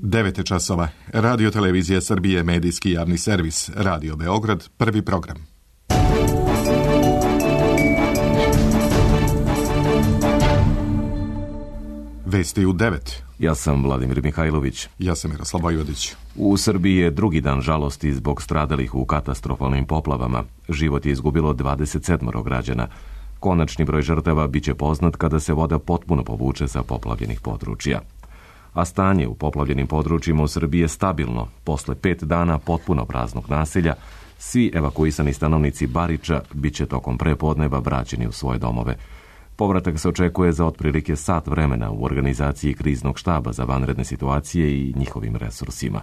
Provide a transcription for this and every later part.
9 časova. Radio Televizija Srbije, medijski javni servis. Radio Beograd, prvi program. Vesti u 9. Ja sam Vladimir Mihajlović. Ja sam Miroslav Vojvodić. U Srbiji je drugi dan žalosti zbog stradalih u katastrofalnim poplavama. Život je izgubilo 27 građana. Konačni broj žrtava biće poznat kada se voda potpuno povuče sa poplavljenih područja. A stanje u poplavljenim područjima u Srbiji je stabilno. Posle 5 dana potpuno praznog naselja, svi evakuisani stanovnici Bariča biće tokom prepodneva vraćeni u svoje domove. Povratak se očekuje za otprilike sat vremena u organizaciji kriznog štaba za vanredne situacije i njihovim resursima.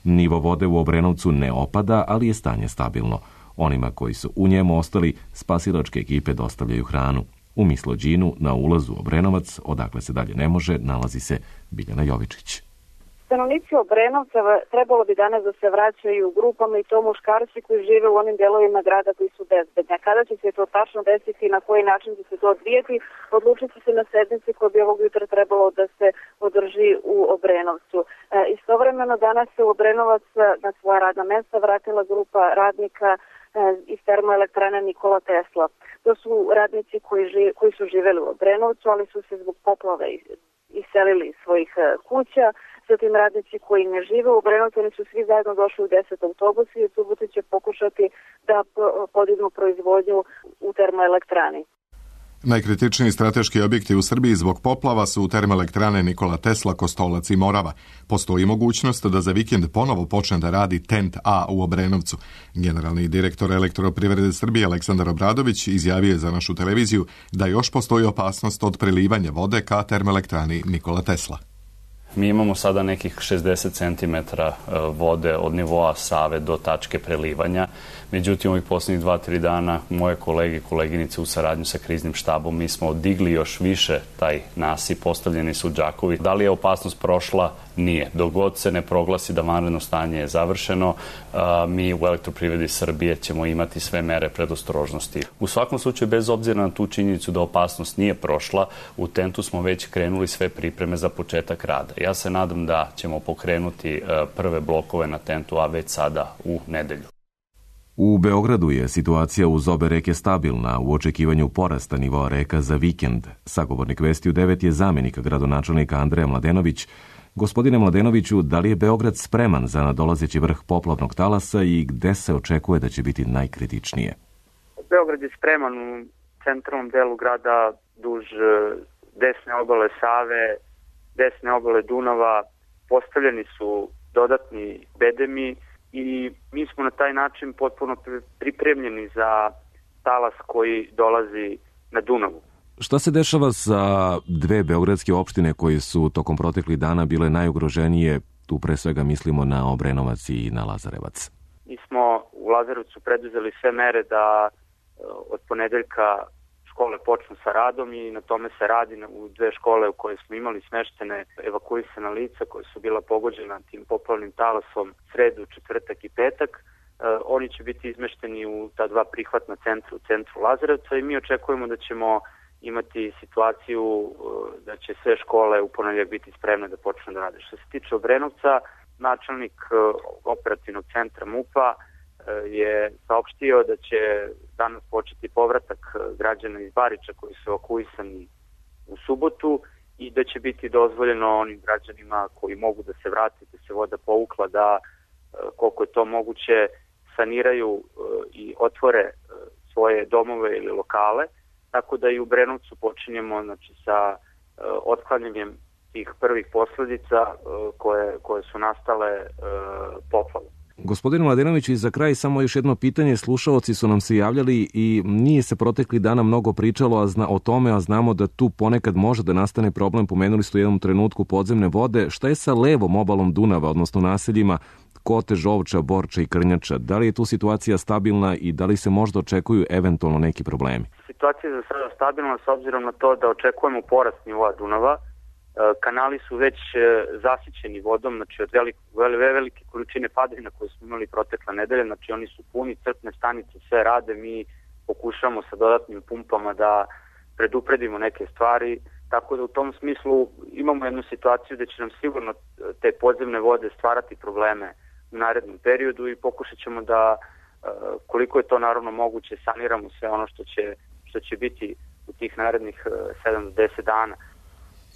Nivo vode u Obrenovcu ne opada, ali je stanje stabilno. Onima koji su u njemu ostali, spasilačke ekipe dostavljaju hranu. U Mislođinu, na ulazu u Obrenovac, odakle se dalje ne može, nalazi se Biljana Jovičić. Stanovnici Obrenovca trebalo bi danas da se vraćaju u grupama i to muškarci koji žive u onim delovima grada koji su bezbedni. A kada će se to tačno desiti i na koji način će se to odvijeti, odlučit će se na sednici koja bi ovog jutra trebalo da se održi u Obrenovcu. Istovremeno danas se u Obrenovac na svoja radna mesta vratila grupa radnika iz termoelektrane Nikola Tesla. To su radnici koji su živeli u Obrenovcu, ali su se zbog poplave iselili iz svojih kuća. Zatim radnici koji ne žive u Obrenovcu, oni su svi zajedno došli u 10 autobusa i u subotu će pokušati da podignu proizvodnju u termoelektrani. Najkritičniji strateški objekti u Srbiji zbog poplava su termoelektrane Nikola Tesla, Kostolac i Morava. Postoji mogućnost da za vikend ponovo počne da radi TENT A u Obrenovcu. Generalni direktor Elektroprivrede Srbije Aleksandar Obradović izjavio je za našu televiziju da još postoji opasnost od prelivanja vode ka termoelektrani Nikola Tesla. Mi imamo sada nekih 60 cm vode od nivoa Save do tačke prelivanja. Međutim, ovih posljednjih 2-3 dana moje kolege i koleginice u saradnju sa kriznim štabom, mi smo digli još više taj nasip, postavljeni su džakovi. Da li je opasnost prošla? Nije. Dok god se ne proglasi da vanredno stanje je završeno, mi u Elektroprivredi Srbije ćemo imati sve mere predostrožnosti. U svakom slučaju, bez obzira na tu činjenicu da opasnost nije prošla, u TENT-u smo već krenuli sve pripreme za početak rada. Ja se nadam da ćemo pokrenuti prve blokove na TENT-u, a već sada u nedelju. U Beogradu je situacija uz obe reke stabilna u očekivanju porasta nivoa reka za vikend. Sagovornik Vesti u 9 je zamjenik gradonačelnika Andreja Mladenović. Gospodine Mladenoviću, da li je Beograd spreman za nadolazeći vrh poplavnog talasa i gde se očekuje da će biti najkritičnije? Beograd je spreman u centralnom delu grada duž desne obale Save, desne obale Dunava. Postavljeni su dodatni bedemi i mi smo na taj način potpuno pripremljeni za talas koji dolazi na Dunavu. Šta se dešava sa dve beogradske opštine koji su tokom proteklih dana bile najugroženije? Tu pre svega mislimo na Obrenovac i na Lazarevac. Mi smo u Lazarevcu preduzeli sve mere da od ponedeljka škole počnu sa radom i na tome se radi u 2 škole u koje smo imali smeštene evakuisana lica koja su bila pogođena tim poplavnim talasom sredu, četvrtak i petak. Oni će biti izmešteni u ta 2 prihvatna centra u centru Lazarevca i mi očekujemo da ćemo imati situaciju da će sve škole u ponedeljak biti spremne da počnu da rade. Što se tiče Obrenovca, načelnik operativnog centra MUP-a je saopštio da će danas početi povratak građana iz Bariča koji su evakuisani u subotu i da će biti dozvoljeno onim građanima koji mogu da se vrate, da se voda povukla, da koliko je to moguće saniraju i otvore svoje domove ili lokale. Tako da i u Obrenovcu počinjemo sa otklanjanjem tih prvih posledica koje su nastale poplavom. Gospodin Mladenović, i za kraj samo još jedno pitanje. Slušaoci su nam se javljali i nije se protekli dana mnogo pričalo o tome, a znamo da tu ponekad može da nastane problem. Pomenuli ste u jednom trenutku podzemne vode. Šta je sa levom obalom Dunava, odnosno naseljima Kote, Žovča, Borča i Krnjača? Da li je tu situacija stabilna i da li se možda očekuju eventualno neki problemi? Situacija je za sada stabilna s obzirom na to da očekujemo porast nivoa Dunava. Kanali su već zasićeni vodom, znači od velike količine padavina koje smo imali protekle nedelje, znači oni su puni, crpne stanice sve rade, mi pokušamo sa dodatnim pumpama da predupredimo neke stvari, Tako da u tom smislu imamo jednu situaciju da će nam sigurno te podzemne vode stvarati probleme u narednom periodu i pokušat ćemo da, koliko je to naravno moguće, saniramo sve ono što će biti u tih narednih 7 do 10 dana.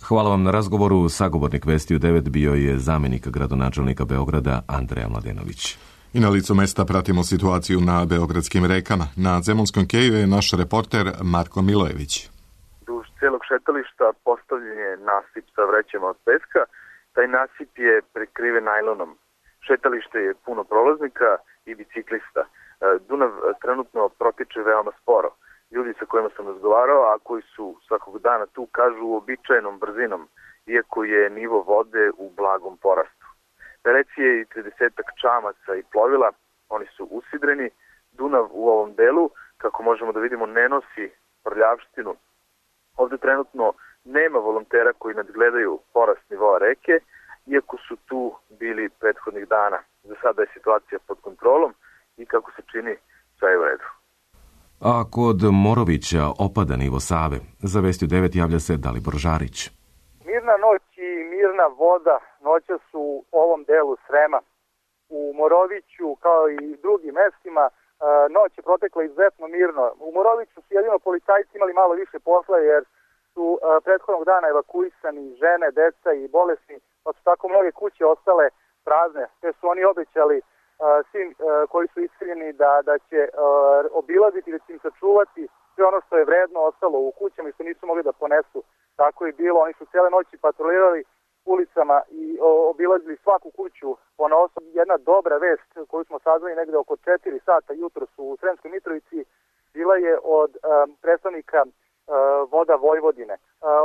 Hvala vam na razgovoru. Sagovornik Vesti u 9 bio je zamjenik gradonačelnika Beograda Andreja Mladenović. I na licu mesta pratimo situaciju na beogradskim rekama. Na Zemunskom keju je naš reporter Marko Milojević. Duž cijelog šetališta postavljen je nasip sa vrećama od peska. Taj nasip je prekriven najlonom. Šetalište je puno prolaznika i biciklista. Dunav trenutno protiče veoma sporo. Ljudi sa kojima sam razgovarao, a koji su svakog dana tu, kažu uobičajenom brzinom, iako je nivo vode u blagom porastu. Na reci je i 30-ak čamaca i plovila, oni su usidreni. Dunav u ovom delu, kako možemo da vidimo, ne nosi prljavštinu. Ovde trenutno nema volontera koji nadgledaju porast nivoa reke, iako su tu bili prethodnih dana. Za sada je situacija pod kontrolom i kako se čini, sve je u redu. A kod Morovića opada nivo Save. Za Vesti u 9 javlja se Dalibor Žarić. Mirna noć i mirna voda noća su u ovom delu Srema. U Moroviću, kao i drugim mestima, noć je protekla izuzetno mirno. U Moroviću su jedino policajci imali malo više posla jer su prethodnog dana evakuisani žene, deca i bolesni, pa su tako mnoge kuće ostale prazne. Te su oni obećali svim koji su iseljeni da će obilaziti, da će im sačuvati sve ono što je vredno ostalo u kućama i što nisu mogli da ponesu. Tako je bilo, oni su cijele noći patrolirali ulicama i obilazili svaku kuću ponaosob. Jedna dobra vest koju smo saznali negde oko 4 sata jutros u Sremskoj Mitrovici bila je od predstavnika Voda Vojvodine.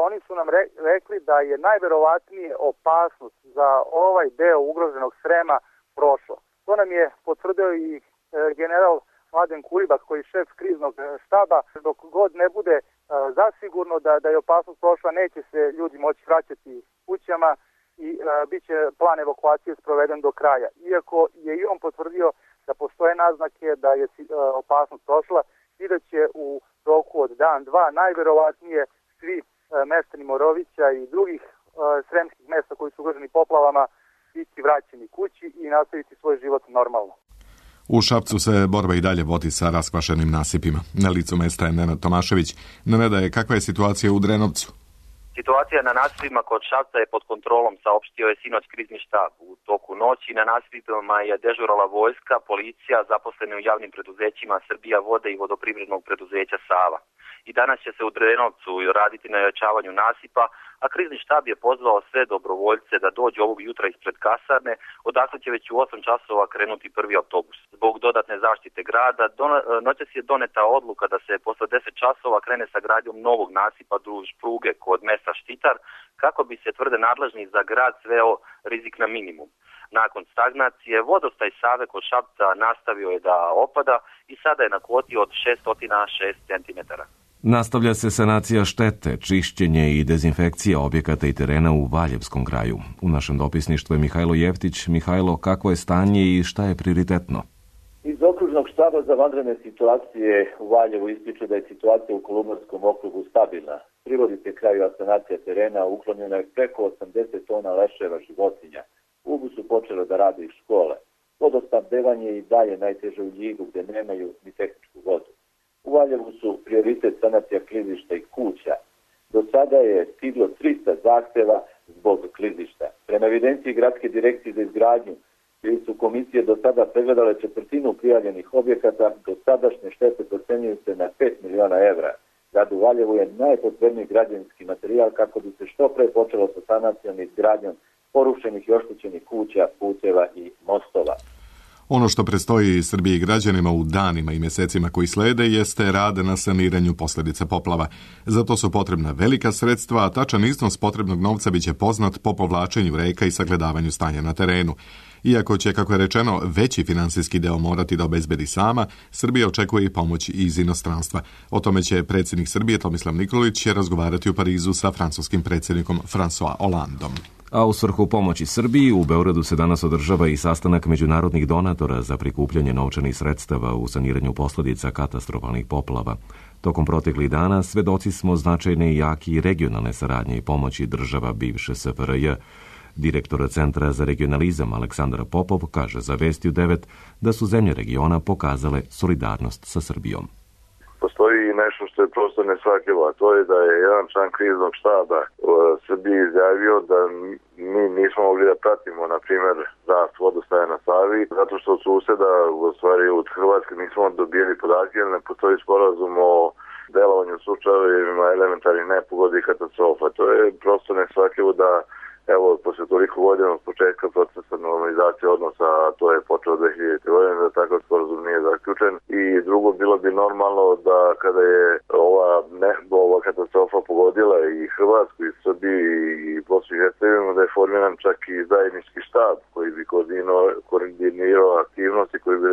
Oni su nam rekli da je najverovatnije opasnost za ovaj deo ugroženog Srema prošlo. To nam je potvrdio i general Mladen Kuribak, koji je šef kriznog štaba. Dok god ne bude zasigurno da je opasnost prošla, neće se ljudi moći vraćati kućama i bit će plan evakuacije sproveden do kraja. Iako je i on potvrdio da postoje naznake da je opasnost prošla i da će u roku od dan, dva, najverovatnije svi meštani Morovića i drugih sremskih mesta koji su ugroženi poplavama biti vraćeni kući i nastaviti svoj život normalno. U Šapcu se borba i dalje vodi sa raskvašenim nasipima. Na licu mesta je Nenad Tomašević. Nenada, kakva je situacija u Drenovcu? Situacija na nasipima kod Šapca je pod kontrolom, saopštio je sinoć krizni štab. U toku noći na nasipima je dežurala vojska, policija, zaposleni u javnim preduzećima Srbija vode i vodoprivrednog preduzeća Sava. I danas će se u Drenovcu raditi na jačavanju nasipa, a krizni štab je pozvao sve dobrovoljce da dođu ovog jutra ispred kasarne, odakle će već u 8 časova krenuti prvi autobus. Zbog dodatne zaštite grada, noćas je doneta odluka da se posle 10 časova krene sa gradnjom novog nasipa duž pruge kod mesta Štitar, kako bi se tvrde nadležni za grad sveo rizik na minimum. Nakon stagnacije, vodostaj Save kod Šapca nastavio je da opada i sada je na kvoti od 606 cm. Nastavlja se sanacija štete, čišćenje i dezinfekcija objekata i terena u Valjevskom kraju. U našem dopisništvu je Mihajlo Jeftić. Mihajlo, kakvo je stanje i šta je prioritetno? Iz okružnog štaba za vanredne situacije u Valjevu ističu da je situacija u Kolubarskom okrugu stabilna. Privodi se kraju sanacija terena, uklonjeno je preko 80 tona leševa životinja. U Ubu su počele da rade i škole. Vodosnabdevanje je i dalje najteže u Ljigu gde nemaju ni tehničku vodu. U Valjevu su prioritet sanacija klizišta i kuća. Do sada je stiglo 300 zahteva zbog klizišta. Prema evidenciji Gradske direkcije za izgradnju, gdje su komisije do sada pregledale 1/4 prijavljenih objekata, do sadašnje štete procenjuju se na 5 miliona evra. Gradu Valjevu je najpotrebniji građevinski materijal kako bi se što pre počelo sa sanacijom i izgradnjom porušenih i oštećenih kuća, puteva i mostova. Ono što predstoji Srbiji i građanima u danima i mjesecima koji slede jeste rad na saniranju posljedica poplava. Zato su potrebna velika sredstva, a tačan iznos potrebnog novca biće poznat po povlačenju reka i sagledavanju stanja na terenu. Iako će, kako je rečeno, veći finansijski deo morati da obezbedi sama, Srbija očekuje i pomoć iz inostranstva. O tome će predsjednik Srbije Tomislav Nikolić razgovarati u Parizu sa francuskim predsjednikom François Hollandom. A u svrhu pomoći Srbiji u Beogradu se danas održava i sastanak međunarodnih donatora za prikupljanje novčanih sredstava u saniranju posljedica katastrofalnih poplava. Tokom proteklih dana svedoci smo značajne i jake i regionalne saradnje i pomoći država bivše SFRJ. Direktor Centra za regionalizam Aleksandar Popov kaže za Vesti u 9 da su zemlje regiona pokazale solidarnost sa Srbijom. Postoji nešto što je prosto nesvakivo, a to je da je jedan član kriznog štaba Srbiji izjavio da mi nismo mogli da pratimo, na primjer, rast vodostaja na Savi, zato što od suseda, u stvari od Hrvatske, nismo dobili podatke, jer ne postoji sporazum o delovanju slučajevima elementarnih nepogodi i katastrofa. To je prosto nesvakivo da, evo, posle toliko godina od početka procesa normalizacije odnosa, a to je počeo 2000. godine, da takav sporazum nije zaključen. I drugo, bilo bi normalno da kada je ova katastrofa pogodila i Hrvatsku, i Srbiju, i Bosnu i Hercegovinu, da je formiran čak i zajednički štab koji bi koordinirao aktivnosti, koji bi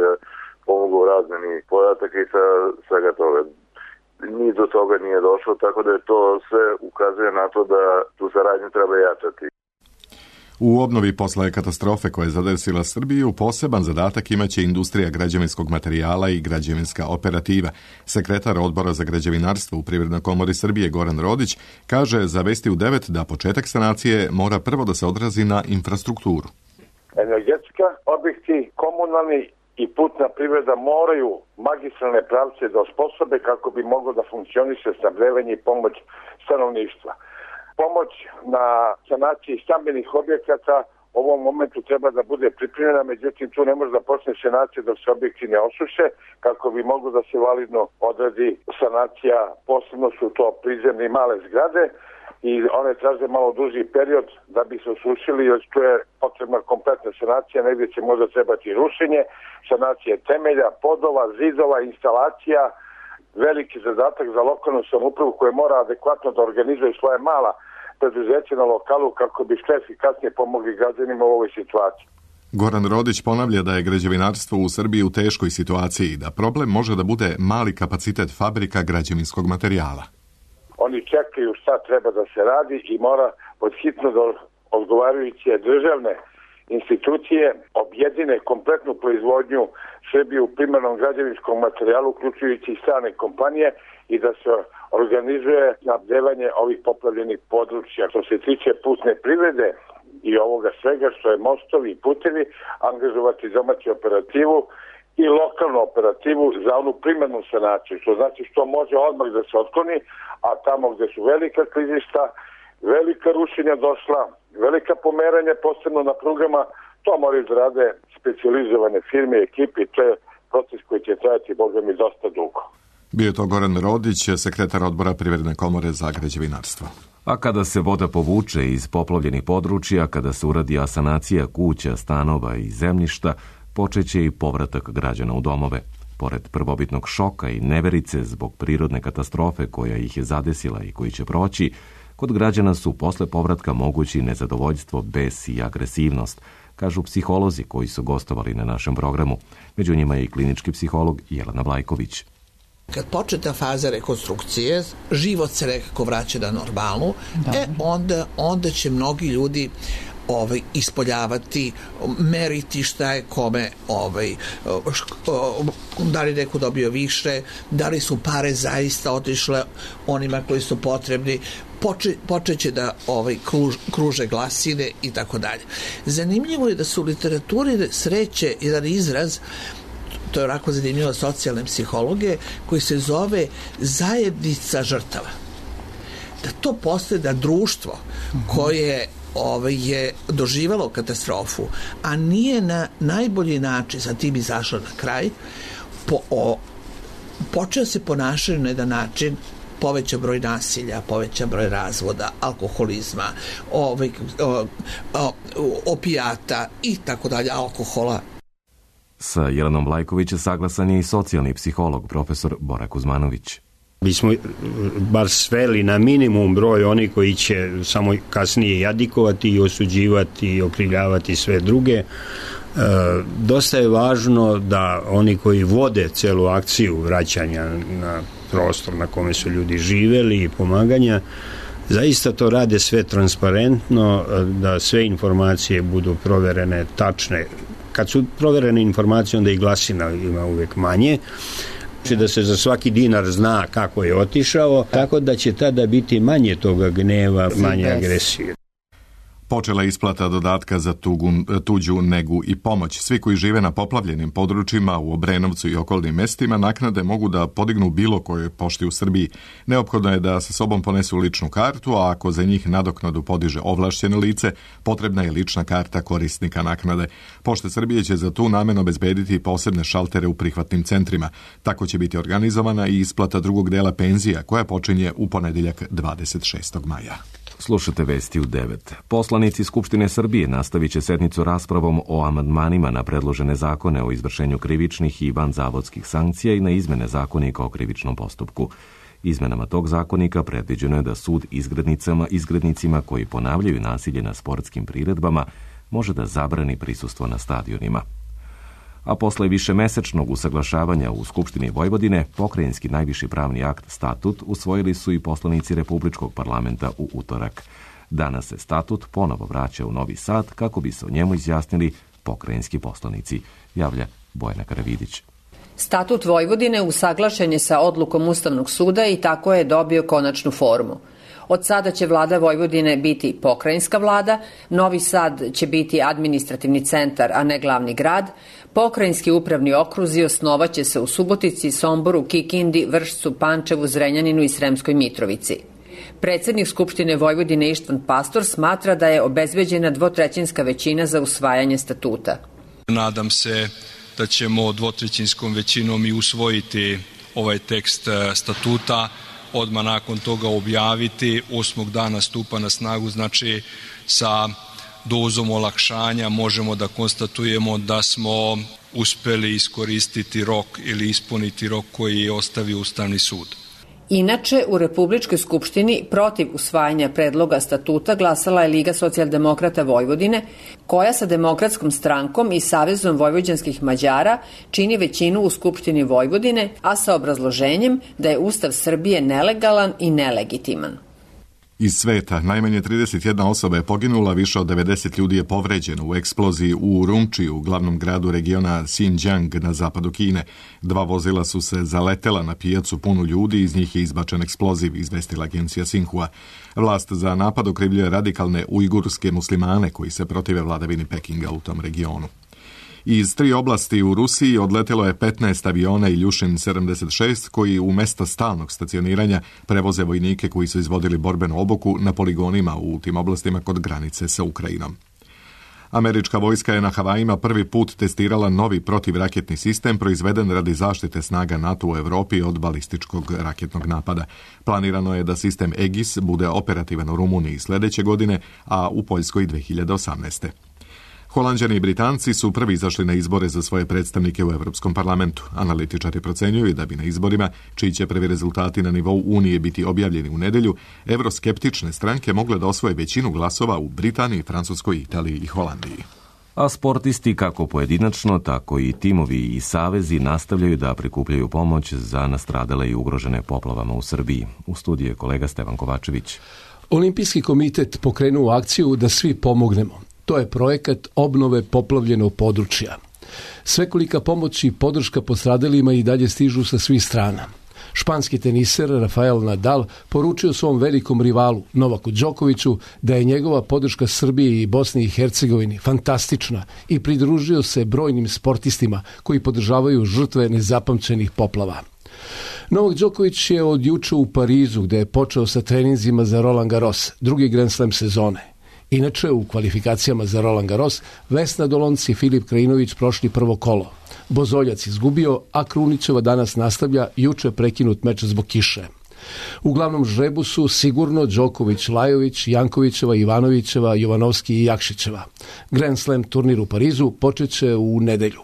pomogao u razmeni podataka i svega toga. Ni do toga nije došlo, tako da je to sve ukazuje na to da tu saradnju treba jačati. U obnovi posle katastrofe koja je zadesila Srbiju poseban zadatak imaće industrija građevinskog materijala i građevinska operativa. Sekretar Odbora za građevinarstvo u Privrednoj komori Srbije Goran Rodić kaže za Vesti u 9 da početak sanacije mora prvo da se odrazi na infrastrukturu. Energetska objekti, komunalni i putna privreda moraju magistralne pravce da osposobe kako bi moglo da funkcioniše snabdevanje i pomoć stanovništva. Pomoć na sanaciji stambenih objekata u ovom momentu treba da bude pripremljena, međutim tu ne može da počne sanacija dok se objekti ne osuše, kako bi moglo da se validno odradi sanacija, posebno su to prizemne i male zgrade i one traže malo duži period da bi se osušili, jer tu je potrebna kompletna sanacija, negdje će možda trebati rušenje, sanacije temelja, podova, zidova, instalacija, veliki zadatak za lokalnu samoupravu koja mora adekvatno da organizuje svoje mala preduzeće na lokalu kako bi što efikasnije pomogli građanima u ovoj situaciji. Goran Rodić ponavlja da je građevinarstvo u Srbiji u teškoj situaciji i da problem može da bude mali kapacitet fabrika građevinskog materijala. Oni čekaju šta treba da se radi i mora podhitno da odgovarajuće državne institucije objedine kompletnu proizvodnju Srbije u primarnom građevinskom materijalu, uključujući i strane kompanije, i da se organizuje snabdevanje ovih poplavljenih područja. Što se tiče putne privrede i ovoga svega što je mostovi i putevi, angažovati domaću operativu i lokalnu operativu za onu primarnu sanaciju, što znači što može odmah da se otkloni, a tamo gde su velika klizišta, velika rušenja došla, velika pomeranja, posebno na prugama, to moraju da rade specijalizovane firme i ekipe i to je proces koji će trajati, boga mi, dosta dugo. Bio je to Goran Rodić, sekretar Odbora Privredne komore za građevinarstvo. A kada se voda povuče iz poplavljenih područja, kada se uradi asanacija kuća, stanova i zemljišta, počeće i povratak građana u domove. Pored prvobitnog šoka i neverice zbog prirodne katastrofe koja ih je zadesila i koji će proći, kod građana su posle povratka mogući nezadovoljstvo, bes i agresivnost, kažu psiholozi koji su gostovali na našem programu. Među njima je i klinički psiholog Jelena Vlajković. Kad počne ta faza rekonstrukcije, život se nekako vraća na normalnu, onda će mnogi ljudi ispoljavati, meriti šta je kome, da li neko dobio više, da li su pare zaista otišle onima koji su potrebni, počeće da kruže glasine i tako dalje. Zanimljivo je da su u literaturi sreće jedan izraz, to je onako zanimljivo socijalne psihologe, koji se zove zajednica žrtava. Da to postaje da društvo koje je doživalo katastrofu, a nije na najbolji način sa tim izašlo na kraj, počeo se ponašati na jedan način, poveća broj nasilja, poveća broj razvoda, alkoholizma, opijata i tako dalje, alkohola. Sa Jelenom Vlajković saglasan je i socijalni psiholog profesor Bora Kuzmanović. Mi smo bar sveli na minimum broj oni koji će samo kasnije jadikovati i osuđivati i okrivljavati sve druge. Dosta je važno da oni koji vode celu akciju vraćanja na prostor na kome su ljudi živeli i pomaganja, zaista to rade sve transparentno, da sve informacije budu proverene, tačne. Kad su proverene informacije, onda i glasina ima uvek manje, Da se za svaki dinar zna kako je otišao, tako da će tada biti manje toga gneva, manje agresije. Počela je isplata dodatka za tuđu negu i pomoć. Svi koji žive na poplavljenim područjima u Obrenovcu i okolnim mestima naknade mogu da podignu bilo kojoj pošti u Srbiji. Neophodno je da sa sobom ponesu ličnu kartu, a ako za njih nadoknadu podiže ovlašćeno lice, potrebna je lična karta korisnika naknade. Pošta Srbije će za tu namenu obezbediti posebne šaltere u prihvatnim centrima. Tako će biti organizovana i isplata drugog dela penzija, koja počinje u ponedeljak 26. maja. Slušate vesti u 9. Poslanici Skupštine Srbije nastavit će sednicu raspravom o amandmanima na predložene zakone o izvršenju krivičnih i vanzavodskih sankcija i na izmene zakonika o krivičnom postupku. Izmenama tog zakonika predviđeno je da sud izgrednicima koji ponavljaju nasilje na sportskim priredbama može da zabrani prisustvo na stadionima. A posle višemesečnog usaglašavanja u Skupštini Vojvodine, pokrajinski najviši pravni akt statut usvojili su i poslanici Republičkog parlamenta u utorak. Danas se statut ponovo vraća u Novi Sad kako bi se o njemu izjasnili pokrajinski poslanici, javlja Bojana Karavidić. Statut Vojvodine usaglašen je sa odlukom Ustavnog suda i tako je dobio konačnu formu. Od sada će vlada Vojvodine biti pokrajinska vlada, Novi Sad će biti administrativni centar, a ne glavni grad, pokrajinski upravni okruzi osnovaće se u Subotici, Somboru, Kikindi, Vršcu, Pančevu, Zrenjaninu i Sremskoj Mitrovici. Predsednik Skupštine Vojvodine Ištvan Pastor smatra da je obezbeđena dvotrećinska većina za usvajanje statuta. Nadam se da ćemo dvotrećinskom većinom i usvojiti ovaj tekst statuta, odmah nakon toga objaviti, 8. dana stupa na snagu, znači sa dozom olakšanja možemo da konstatujemo da smo uspeli iskoristiti rok ili ispuniti rok koji je ostavio Ustavni sud. Inače, u Republičkoj skupštini protiv usvajanja predloga statuta glasala je Liga socijaldemokrata Vojvodine, koja sa Demokratskom strankom i Savezom vojvođanskih Mađara čini većinu u Skupštini Vojvodine, a sa obrazloženjem da je Ustav Srbije nelegalan i nelegitiman. Iz sveta najmanje 31 osoba je poginula, više od 90 ljudi je povređeno u eksploziji u Urumčiju, glavnom gradu regiona Xinjiang na zapadu Kine. 2 vozila su se zaletela na pijacu punu ljudi, iz njih je izbačen eksploziv, izvestila agencija Xinhua. Vlast za napad okrivljuje radikalne ujgurske muslimane koji se protive vladavini Pekinga u tom regionu. Iz 3 oblasti u Rusiji odletelo je 15 aviona Iljušin 76 koji u mesta stalnog stacioniranja prevoze vojnike koji su izvodili borbenu obuku na poligonima u tim oblastima kod granice sa Ukrajinom. Američka vojska je na Havajima prvi put testirala novi protivraketni sistem proizveden radi zaštite snaga NATO u Evropi od balističkog raketnog napada. Planirano je da sistem Aegis bude operativan u Rumuniji sledeće godine, a u Poljskoj 2018. Holanđani i Britanci su prvi izašli na izbore za svoje predstavnike u Evropskom parlamentu. Analitičari procenjuju da bi na izborima, čiji će prvi rezultati na nivou Unije biti objavljeni u nedelju, evroskeptične stranke mogle da osvoje većinu glasova u Britaniji, Francuskoj, Italiji i Holandiji. A sportisti kako pojedinačno, tako i timovi i savezi nastavljaju da prikupljaju pomoć za nastradale i ugrožene poplavama u Srbiji. U studiju je kolega Stevan Kovačević. Olimpijski komitet pokrenuo akciju da svi pomognemo. To je projekat obnove poplavljenog područja. Svekolika pomoć i podrška postradalima i dalje stižu sa svih strana. Španski teniser Rafael Nadal poručio svom velikom rivalu Novaku Đokoviću da je njegova podrška Srbiji i Bosni i Hercegovini fantastična i pridružio se brojnim sportistima koji podržavaju žrtve nezapamćenih poplava. Novak Đoković je od juče u Parizu gde je počeo sa treninzima za Roland Garros, drugi Grand Slam sezone. Inače, u kvalifikacijama za Roland Garros, Vesna Dolonc i Filip Krajinović prošli prvo kolo. Bozoljac izgubio, a Krunićeva danas nastavlja juče prekinut meč zbog kiše. U glavnom žrebu su sigurno Đoković, Lajović, Jankovićeva, Ivanovićeva, Jovanovski i Jakšićeva. Grand Slam turnir u Parizu počeće u nedelju.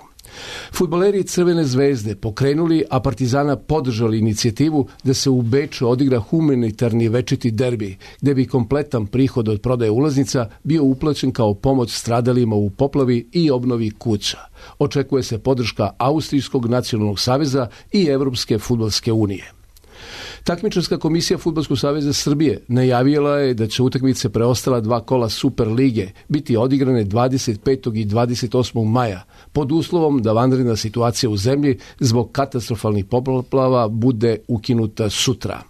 Fudbaleri Crvene zvezde pokrenuli, a Partizana podržali inicijativu da se u Beču odigra humanitarni večiti derbi, gde bi kompletan prihod od prodaje ulaznica bio uplaćen kao pomoć stradalima u poplavi i obnovi kuća. Očekuje se podrška Austrijskog nacionalnog saveza i Evropske fudbalske unije. Takmičarska komisija Fudbalskog saveza Srbije najavila je da će utakmice preostala 2 kola Super lige biti odigrane 25. i 28. maja pod uslovom da vanredna situacija u zemlji zbog katastrofalnih poplava bude ukinuta sutra.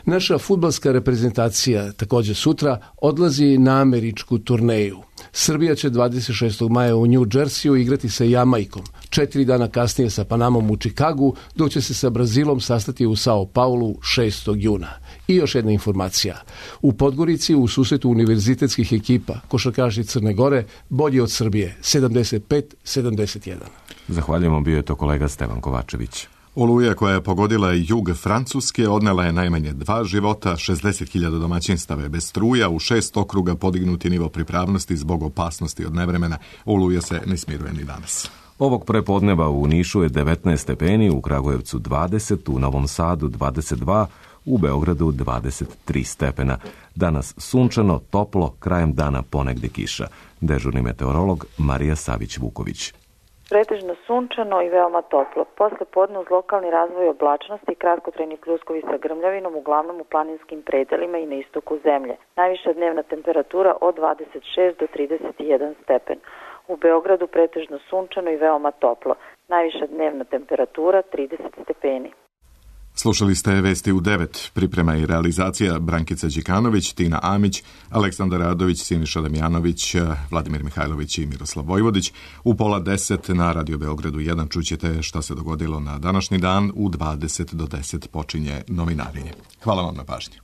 Naša fudbalska reprezentacija također sutra odlazi na američku turneju. Srbija će 26. maja u New Jerseyu igrati sa Jamajkom, 4 dana kasnije sa Panamom u Čikagu, dok će se sa Brazilom sastati u Sao Paulu 6. juna. I još jedna informacija. U Podgorici u susretu univerzitetskih ekipa košarkaši Crne Gore bolji od Srbije 75-71. Zahvaljujemo, bio je to kolega Stevan Kovačević. Oluja koja je pogodila jug Francuske odnela je najmanje 2 života, 60.000 domaćinstava je bez struja, u 6 okruga podignuti nivo pripravnosti zbog opasnosti od nevremena. Oluja se ne smiruje ni danas. Ovog prepodneva u Nišu je 19 stepeni, u Kragujevcu 20, u Novom Sadu 22, u Beogradu 23 stepena. Danas sunčano, toplo, krajem dana ponegde kiša. Dežurni meteorolog Marija Savić-Vuković. Pretežno sunčano i veoma toplo. Posle podne uz lokalni razvoj oblačnosti i kratkotrajni pljuskovi sa grmljavinom, uglavnom u planinskim predelima i na istoku zemlje. Najviša dnevna temperatura od 26 do 31 stepen. U Beogradu pretežno sunčano i veoma toplo. Najviša dnevna temperatura 30 stepeni. Slušali ste vesti u 9. Priprema i realizacija Brankica Đikanović, Tina Amić, Aleksandar Radović, Siniša Damjanović, Vladimir Mihajlović i Miroslav Vojvodić. U 9:30 na Radio Beogradu 1 čućete šta se dogodilo na današnji dan. U 20 do 10 počinje novinarenje. Hvala vam na pažnju.